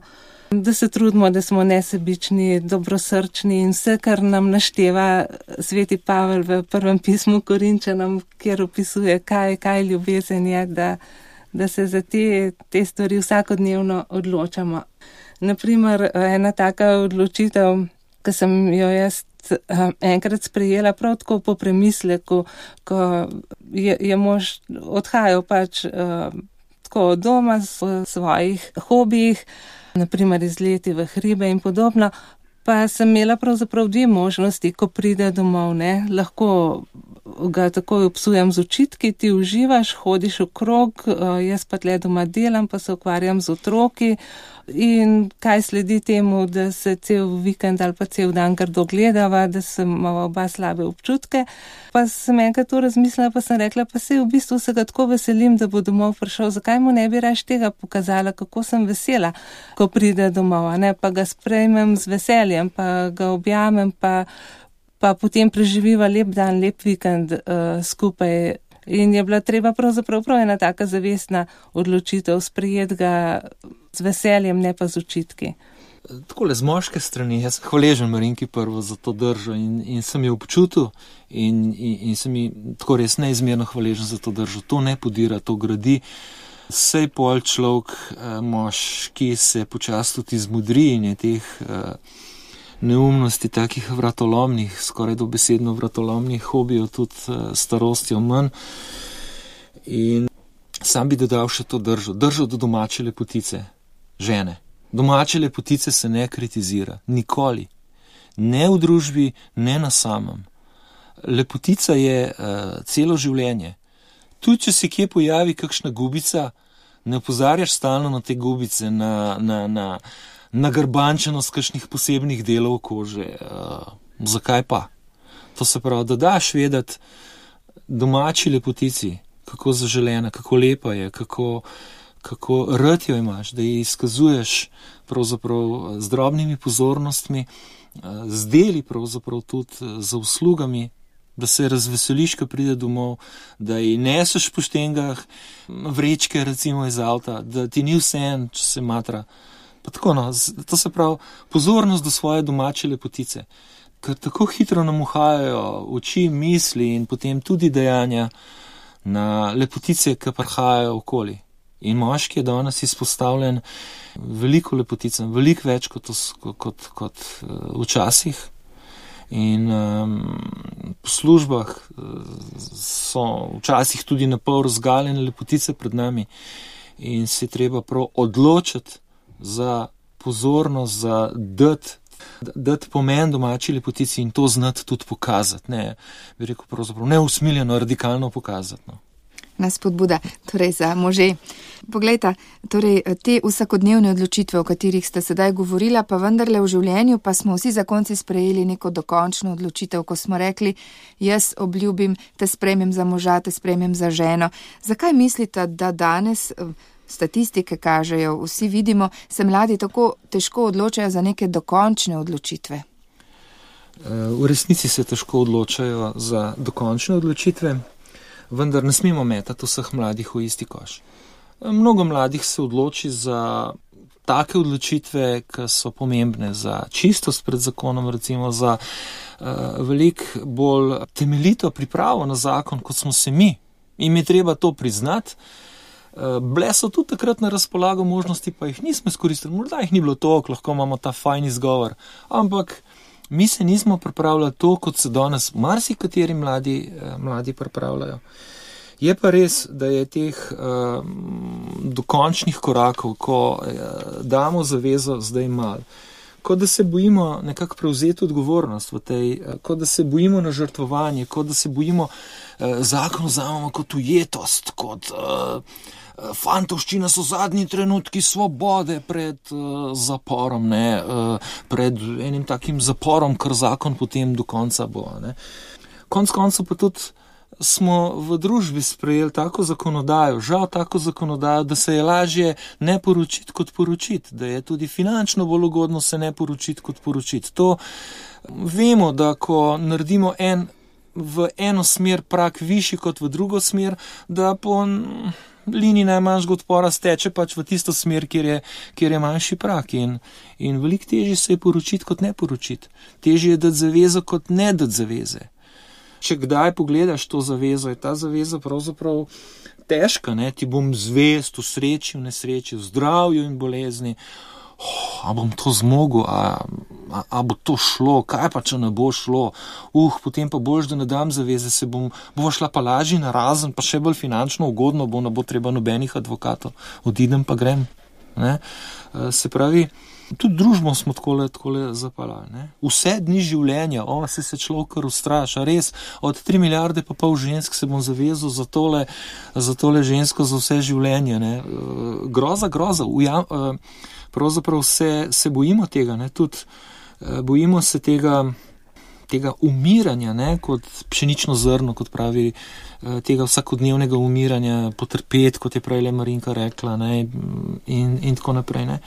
da se trudimo, da smo nesebični, dobrosrčni in vse, kar nam našteva sveti Pavel v prvem pismu Korinčanom, kjer opisuje, kaj ljubezen je, da se za te stvari vsakodnevno odločamo. Naprimer, ena taka odločitev, ki sem jo jaz enkrat sprejela prav tako po premisleku, ko je mož odhajal pač tako od doma v svojih hobijih, naprimer izleti v hribe in podobno, pa sem imela pravzaprav dve možnosti, ko pride domov, ne, lahko ga takoj obsujam z očitki, ti uživaš, hodiš okrog, jaz pa tle doma delam, pa se ukvarjam z otroki in kaj sledi temu, da se cel vikend ali pa cel dan grdo gledava, da sem imala oba slabe občutke. Pa sem enkrat to razmislila, pa sem rekla, pa se v bistvu se ga tako veselim, da bo domov prišel, zakaj mu ne bi raje tega pokazala, kako sem vesela, ko pride domov, ne, pa ga sprejmem z veseljem, pa ga objamem, pa potem preživiva lep dan, lep vikend skupaj. In je bila treba pravzaprav ena taka zavestna odločitev sprejeti ga z veseljem, ne pa z očitki. Takole, z moške strani, jaz sem hvaležen Marinki prvo za to držo in sem jo občutil in sem ji tako res neizmerno hvaležen za to držo. To ne podira, to gradi. Sej pol človek, moški se počasi tudi izmudri in je teh neumnosti, takih vratolomnih, skoraj dobesedno vratolomnih hobijev tudi starostjo manj. In sam bi dodal še to držo do domače lepotice, žene. Domače lepotice se ne kritizira, nikoli. Ne v družbi, ne na samem. Lepotica je celo življenje. Tudi, če se kje pojavi kakšna gubica, ne opozarjaš stalno na te gubice, na grbančenost kakšnih posebnih delov kože. Zakaj pa? To se pravi, da daš vedeti domači lepotici, kako zaželena, kako lepa je, kako rad jo imaš, da ji izkazuješ pravzaprav z drobnimi pozornostmi, z deli pravzaprav tudi za uslugami, da se razveseliš, ko pride domov, da ji neseš po štengah vrečke recimo iz avta, da ti ni vseeno, če se matra. Pa tako, no, to se pravi pozornost do svoje domače lepotice, ker tako hitro nam uhajajo oči, misli in potem tudi dejanja na lepotice, ki prihajajo okoli. In moški je danes izpostavljen veliko lepoticam, veliko več kot včasih. In po službah so včasih tudi na pol razgaljene lepotice pred nami in se treba prav odločiti za pozornost, za dati pomen domači lepotici in to znati tudi pokazati, ne, bi rekel pravzaprav neusmiljeno, radikalno pokazati, no. Nas spodbuda, torej za može. Poglejta, torej te vsakodnevne odločitve, o katerih ste sedaj govorila, pa vendarle v življenju, pa smo vsi zakonci sprejeli neko dokončno odločitev, ko smo rekli, jaz obljubim, te sprejmem za moža, te sprejmem za ženo. Zakaj mislite, da danes, statistike kažejo, vsi vidimo, se mladi tako težko odločajo za neke dokončne odločitve? V resnici se težko odločajo za dokončne odločitve, vendar ne smemo metati vseh mladih v isti koš. Mnogo mladih se odloči za take odločitve, ki so pomembne za čistost pred zakonom, recimo za veliko bolj temeljito pripravo na zakon, kot smo se mi. In je treba to priznati. Bile so tudi takrat na razpolago možnosti, pa jih nismo izkoristili. Morda jih ni bilo toliko, lahko imamo ta fajn izgovor, ampak mi se nismo pripravljali to, kot se danes marsikateri mladi pripravljajo. Je pa res, da je teh dokončnih korakov, ko damo zavezo zdaj malo, kot da se bojimo nekako prevzeti odgovornost v tej, kot da se bojimo na žrtvovanje, kot da se bojimo zakon vzamemo kot ujetost, kot fantovščina so zadnji trenutki svobode pred zaporom, ne, pred enim takim zaporom, kar zakon potem do konca bo. Ne. Konec koncev pa tudi smo v družbi sprejeli tako zakonodajo, žal tako zakonodajo, da se je lažje ne poročiti kot poročiti, da je tudi finančno bolj ugodno se ne poročiti kot poročiti. To vemo, da ko naredimo v eno smer prak višji kot v drugo smer, da po liniji najmanjšega odpora steče pač v tisto smer, kjer je manjši prak. In veliko težje se je poročiti kot ne poročiti. Težje je dati zavezo kot ne dati zaveze. Če kdaj pogledaš to zavezo, je ta zaveza pravzaprav težka, ne? Ti bom zvest v sreči, v nesreči, v zdravju in bolezni. A bom to zmogel, a bo to šlo, kaj pa, če ne bo šlo, potem pa boš, da ne dam zaveze, bova šla pa lažji narazen, pa še bolj finančno ugodno bo, ne bo treba nobenih advokatov, odidem pa grem. Ne? Se pravi, tudi družbo smo takole zapalali. Ne? Vse dni življenja, se človek kar ustraša, res, od 3 milijarde pa pol žensk se bom zavezal za tole žensko za vse življenje. Ne? Groza, pravzaprav se bojimo tega, ne? Tudi bojimo se tega umiranja, ne? Kot pšenično zrno, kot pravi, tega vsakodnevnega umiranja, potrpeti, kot je prej Marinka rekla, ne? In tako naprej. Ne?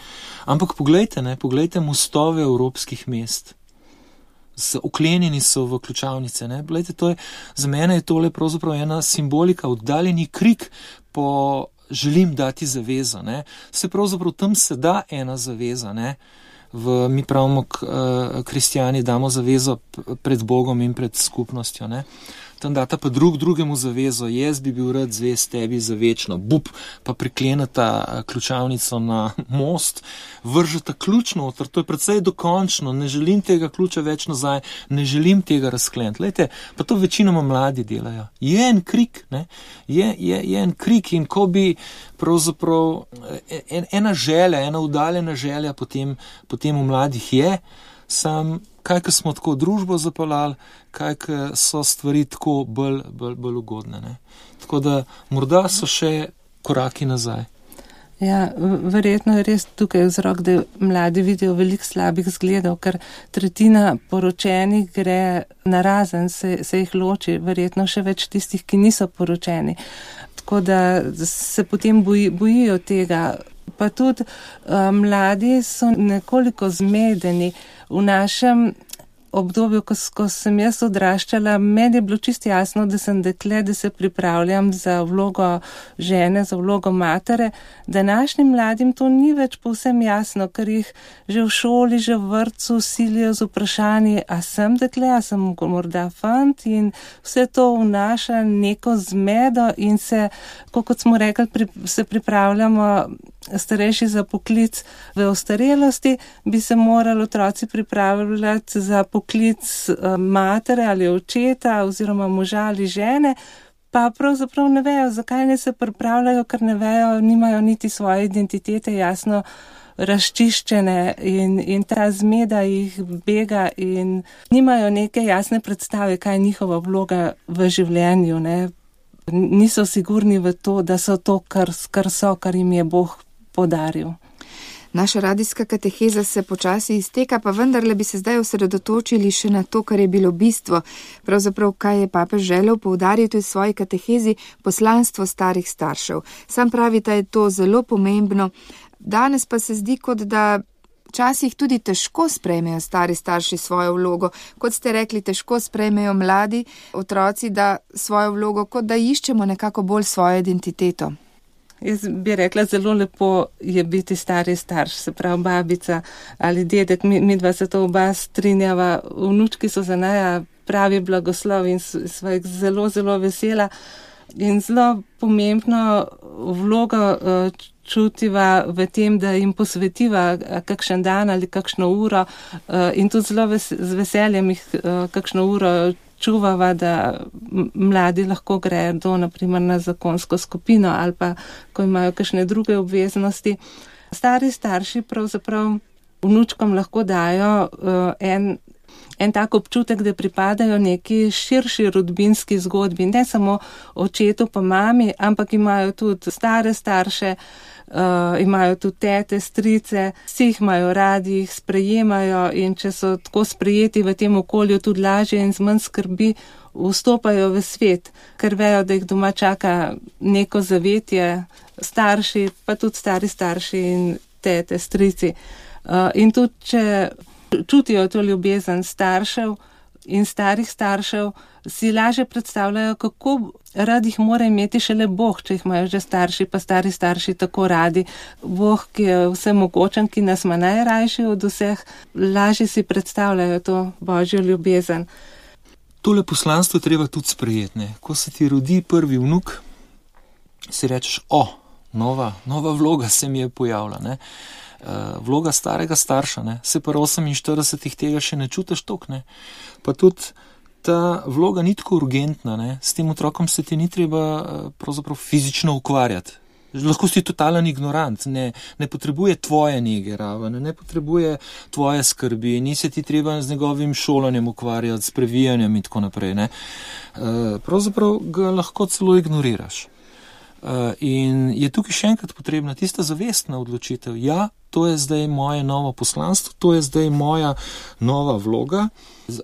Ampak poglejte mostove evropskih mest. Oklenjeni so v ključavnice. Ne? Poglejte, za mene je tole pravzaprav ena simbolika, oddaljeni krik po želim dati zavezo, ne. Se pravzaprav tam se da ena zaveza, ne. Mi pravimo, kristijani damo zavezo pred Bogom in pred skupnostjo, ne. Tam data pa drugemu zavezo, jaz bi bil rad zvest tebi za večno, pa prikleneta ključavnico na most, vržeta ključ noter, to je precej dokončno, ne želim tega ključa več nazaj, ne želim tega razkleniti. Lejte, pa to večinoma mladi delajo. Je en krik, ne, je en krik in ko bi pravzaprav ena želja, ena udaljena želja potem v mladih je, sam kaj smo tako družbo zapeljali, kaj so stvari tako bolj ugodne. Ne? Tako da morda so še koraki nazaj. Ja, verjetno je res tukaj vzrok, da mladi vidijo veliko slabih zgledov, ker tretjina poročenih gre narazen, se jih loči, verjetno še več tistih, ki niso poročeni. Tako da se potem bojijo tega. Pa tudi mladi so nekoliko zmedeni. V našem obdobju, ko sem jaz odraščala, meni je bilo čisto jasno, da sem dekle, da se pripravljam za vlogo žene, za vlogo matere. Današnjim mladim to ni več povsem jasno, ker jih že v šoli, že v vrtcu silijo z vprašanji, a sem dekle, a sem morda fant, in vse to vnaša neko zmedo in se, kot smo rekli, se pripravljamo starejši za poklic v ostarelosti, bi se morali otroci pripravljati za poklic matere ali očeta oziroma moža ali žene, pa pravzaprav ne vejo, zakaj ne se pripravljajo, ker ne vejo, nimajo niti svoje identitete jasno razčiščene in ta zmeda jih bega in nimajo neke jasne predstave, kaj je njihova vloga v življenju, ne. Niso sigurni v to, da so to, kar jim je Bog podaril. Naša radijska kateheza se počasi izteka, pa vendarle bi se zdaj osredotočili še na to, kar je bilo bistvo. Pravzaprav, kaj je papež želel poudariti v svoji katehezi, poslanstvo starih staršev. Sam pravi, da je to zelo pomembno. Danes pa se zdi, kot da včasih tudi težko sprejmejo stari starši svojo vlogo. Kot ste rekli, težko sprejmejo mladi otroci, da svojo vlogo, kot da iščemo nekako bolj svojo identiteto. Jaz bi rekla, zelo lepo je biti stari starš, se pravi babica ali dedek, mi dva se to oba strinjava, vnučki so za naja pravi blagoslov in sva jih zelo, zelo vesela in zelo pomembno vlogo čutiva v tem, da jim posvetiva kakšen dan ali kakšno uro in tudi zelo z veseljem jih kakšno uro čuvava, da mladi lahko gredo naprimer na zakonsko skupino ali pa, ko imajo kakšne druge obveznosti. Stari starši pravzaprav vnučkom lahko dajo en tak občutek, da pripadajo neki širši rodbinski zgodbi, ne samo očetu pa mami, ampak imajo tudi stare starše, imajo tudi tete, strice, vsi jih imajo radi, jih sprejemajo in če so tako sprejeti v tem okolju, tudi lažje in z manj skrbi vstopajo v svet, ker vejo, da jih doma čaka neko zavetje, starši, pa tudi stari starši in tete, strici. In tudi, če čutijo to ljubezen staršev in starih staršev, si lažje predstavljajo, kako rad jih mora imeti šele Bog, če jih imajo že starši, pa stari starši tako radi. Bog, ki je vsemogočen, ki nas ima najrajši od vseh, lažje si predstavljajo to Božjo ljubezen. Tole poslanstvo je treba tudi sprejeti, ne. Ko se ti rodi prvi vnuk, si rečeš, nova vloga se mi je pojavila, ne. Vloga starega starša, ne. Se pa 48 tega še ne čutiš toliko, ne. Pa tudi ta vloga ni tako urgentna, ne. S tem otrokom se ti ni treba pravzaprav fizično ukvarjati. Lahko si totalen ignorant, ne potrebuje tvoje nege raven, ne potrebuje tvoje skrbi, ni se ti treba z njegovim šolanjem ukvarjati, s previjanjem in tako naprej, ne. Pravzaprav ga lahko celo ignoriraš. In je tukaj še enkrat potrebna tista zavestna odločitev. Ja, to je zdaj moje novo poslanstvo, to je zdaj moja nova vloga.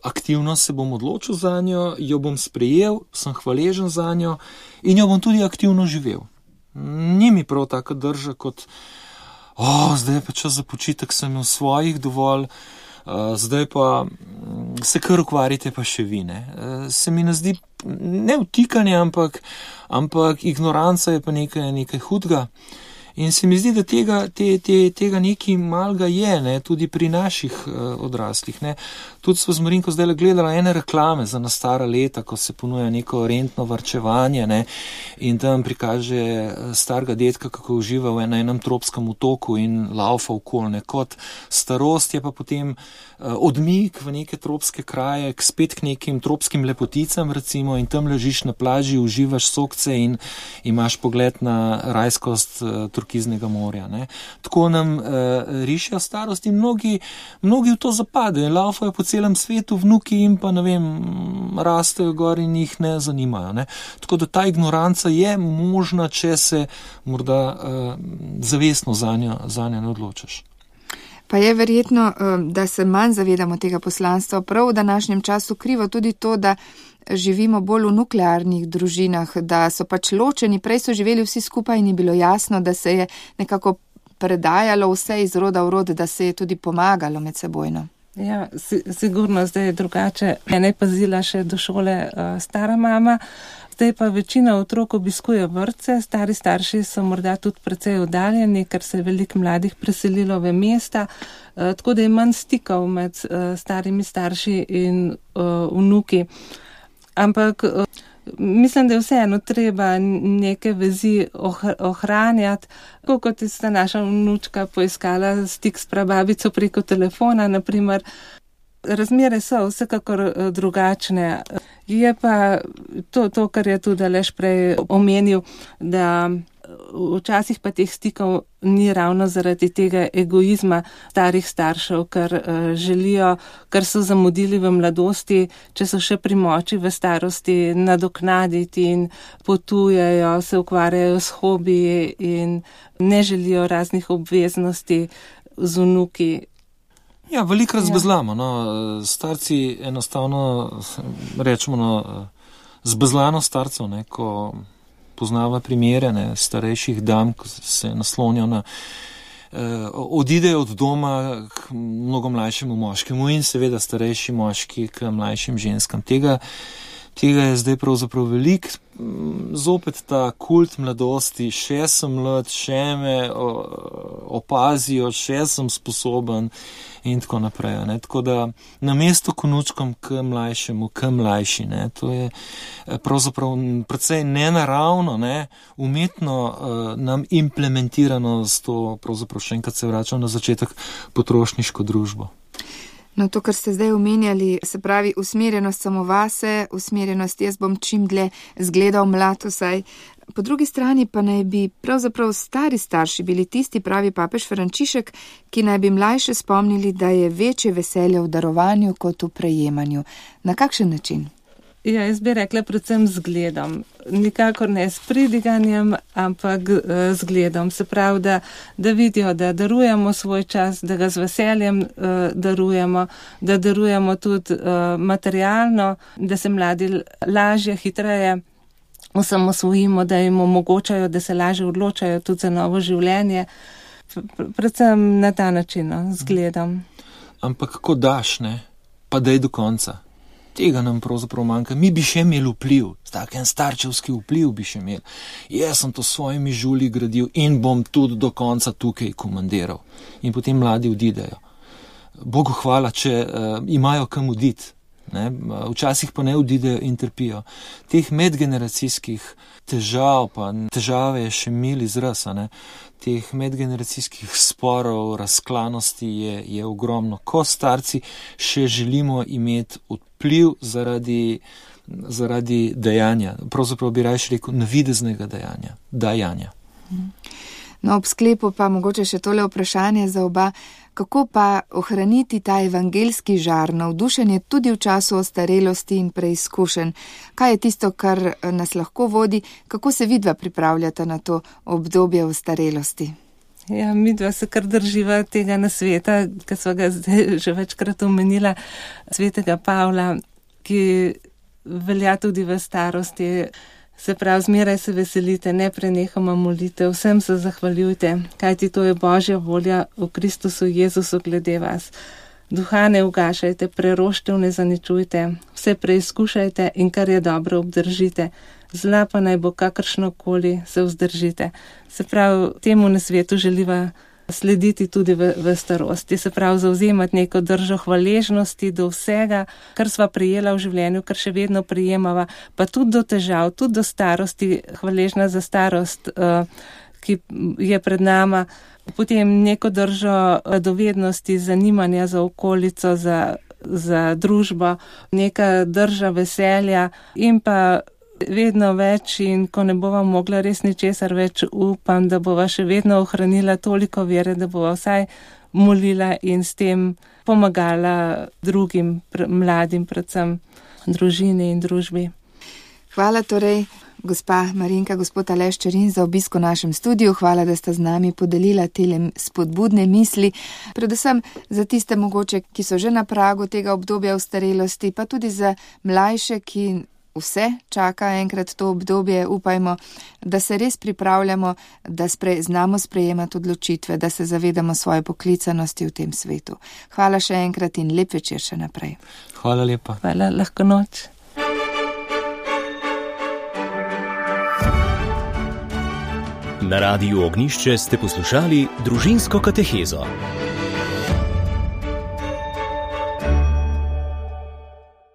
Aktivno se bom odločil za njo, jo bom sprejel, sem hvaležen za njo in jo bom tudi aktivno živel. Ni mi prav taka drža kot, zdaj pa čas za počitek, sem imel svojih dovolj, zdaj pa se kar ukvarjate pa še vi, ne. Se mi ne zdi ne vtikanje, ampak ignoranca je pa nekaj hudega. In se mi zdi, da tega nekaj malga je, ne, tudi pri naših odraslih. Ne. Tudi smo z Marinko zdaj gledala ene reklame za na stara leta, ko se ponuja neko rentno varčevanje, ne, in tam prikaže starega dedka, kako uživa na enem tropskem otoku in laufa okoli, ne. Kot starost je pa potem odmik v neke tropske kraje, spet k nekim tropskim lepoticam recimo, in tam ležiš na plaži, uživaš sokce in imaš pogled na rajskost turkiznega morja. Ne. Tako nam rišijo starost in mnogi v to zapadejo in laufajo po celem svetu, vnuki in pa, ne vem, rastejo gor in jih ne zanimajo. Ne. Tako da ta ignoranca je možna, če se morda zavestno zanjo ne odločaš. Pa je verjetno, da se manj zavedamo tega poslanstva, prav v današnjem času krivo tudi to, da živimo bolj v nuklearnih družinah, da so pač ločeni, prej so živeli vsi skupaj in je bilo jasno, da se je nekako predajalo vse iz roda v rod, da se je tudi pomagalo med sebojno. Ja, sigurno zdaj je drugače. Mene je pazila še do šole stara mama, zdaj pa večina otrok obiskuje vrtce, stari starši so morda tudi precej oddaljeni, ker se je veliko mladih preselilo v mesta, tako da je manj stikov med starimi starši in vnuki. Ampak mislim, da je vseeno treba neke vezi ohranjati, kot je sta naša vnučka poiskala stik s prababico preko telefona, naprimer. Razmere so vsekakor drugačne. Je pa to, kar je tudi Aleš prej omenil, da včasih pa teh stikov ni ravno zaradi tega egoizma starih staršev, ker želijo, kar so zamudili v mladosti, če so še pri moči v starosti, nadoknaditi in potujejo, se ukvarjajo s hobiji in ne želijo raznih obveznosti z vnuki. Ja, veliko razbezlamo, no. Starci enostavno, rečemo, zbezlano starcev, ne, ko poznava primere, ne, starejših dam, ko se naslonijo na, odidejo od doma k mnogo mlajšemu moškemu in seveda starejši moški k mlajšim ženskam. Tega je zdaj pravzaprav veliko. Zopet ta kult mladosti, še sem mlad, še me opazijo, še sem sposoben in tako naprej. Ne. Tako da namesto konučkom k mlajšemu, k mlajši, ne, to je pravzaprav precej nenaravno, ne, umetno nam implementirano s to, pravzaprav še enkrat se vračam na začetek, potrošniško družbo. No, to, kar ste zdaj omenjali, se pravi usmerjenost samo vase, usmerjenost jaz bom čim dlje zgledal mlad vsaj. Po drugi strani pa naj bi pravzaprav stari starši bili tisti, pravi papež Frančišek, ki naj bi mlajše spomnili, da je večje veselje v darovanju kot v prejemanju. Na kakšen način? Ja, jaz bi rekla predvsem zgledom. Nikakor ne s pridiganjem, ampak zgledom. Se pravi, da vidijo, da darujemo svoj čas, da ga z veseljem darujemo, da darujemo tudi materialno, da se mladi lažje, hitreje osamosvojimo, da jim omogočajo, da se lažje odločajo tudi za novo življenje. Predvsem na ta način, zgledom. Ampak kako daš, ne? Pa daj do konca. Tega nam pravzaprav manjka. Mi bi še imeli vpliv, taken starčevski vpliv bi še imeli. Jaz sem to s svojimi žulji gradil in bom tudi do konca tukaj komandiral. In potem mladi odidejo. Bogu hvala, če imajo kam oditi. Ne? Včasih pa ne odidejo in trpijo. Teh medgeneracijskih težav, pa težave je še mil izraz, ne? Teh medgeneracijskih sporov, razklanosti je ogromno. Ko starci še želimo imeti vpliv zaradi dejanja, pravzaprav bi raje rekel navideznega dajanja. No, ob sklepu pa mogoče še tole vprašanje za oba. Kako pa ohraniti ta evangelski žar, navdušenje tudi v času ostarelosti in preizkušenj? Kaj je tisto, kar nas lahko vodi? Kako se vidva pripravljata na to obdobje ostarelosti? Ja, midva se kar drživa tega nasveta, ki sva ga zdaj že večkrat omenila, svetega Pavla, ki velja tudi v starosti. Se pravi, zmeraj se veselite, ne prenehoma molite, vsem se zahvaljujte, kajti to je Božja volja v Kristusu Jezusu glede vas. Duha ne ugašajte, preroštev ne zaničujte, vse preizkušajte in kar je dobro obdržite. Zla pa naj bo kakršnokoli, se vzdržite. Se pravi, temu nasvetu želiva slediti tudi v starosti, se pravi zauzemati neko držo hvaležnosti do vsega, kar sva prijela v življenju, kar še vedno prijemava, pa tudi do težav, tudi do starosti, hvaležna za starost, ki je pred nama, potem neko držo radovednosti, zanimanja za okolico, za družbo, neka drža veselja in pa vedno več, in ko ne bova mogla res ničesar več, upam, da bova še vedno ohranila toliko vere, da bova vsaj molila in s tem pomagala drugim, mladim, predvsem družini in družbi. Hvala torej, gospa Marinka, gospod Aleš Čerin, za obisk v našem studiu. Hvala, da sta z nami podelila tele spodbudne misli, predvsem za tiste mogoče, ki so že na pragu tega obdobja ostarelosti, pa tudi za mlajše, ki vse čaka enkrat to obdobje. Upajmo, da se res pripravljamo, da znamo sprejemati odločitve, da se zavedamo svoje poklicanosti v tem svetu. Hvala še enkrat in lep večer še naprej. Hvala lepa. Hvala, lahko noč. Na Radiu Ognjišče ste poslušali Družinsko katehezo.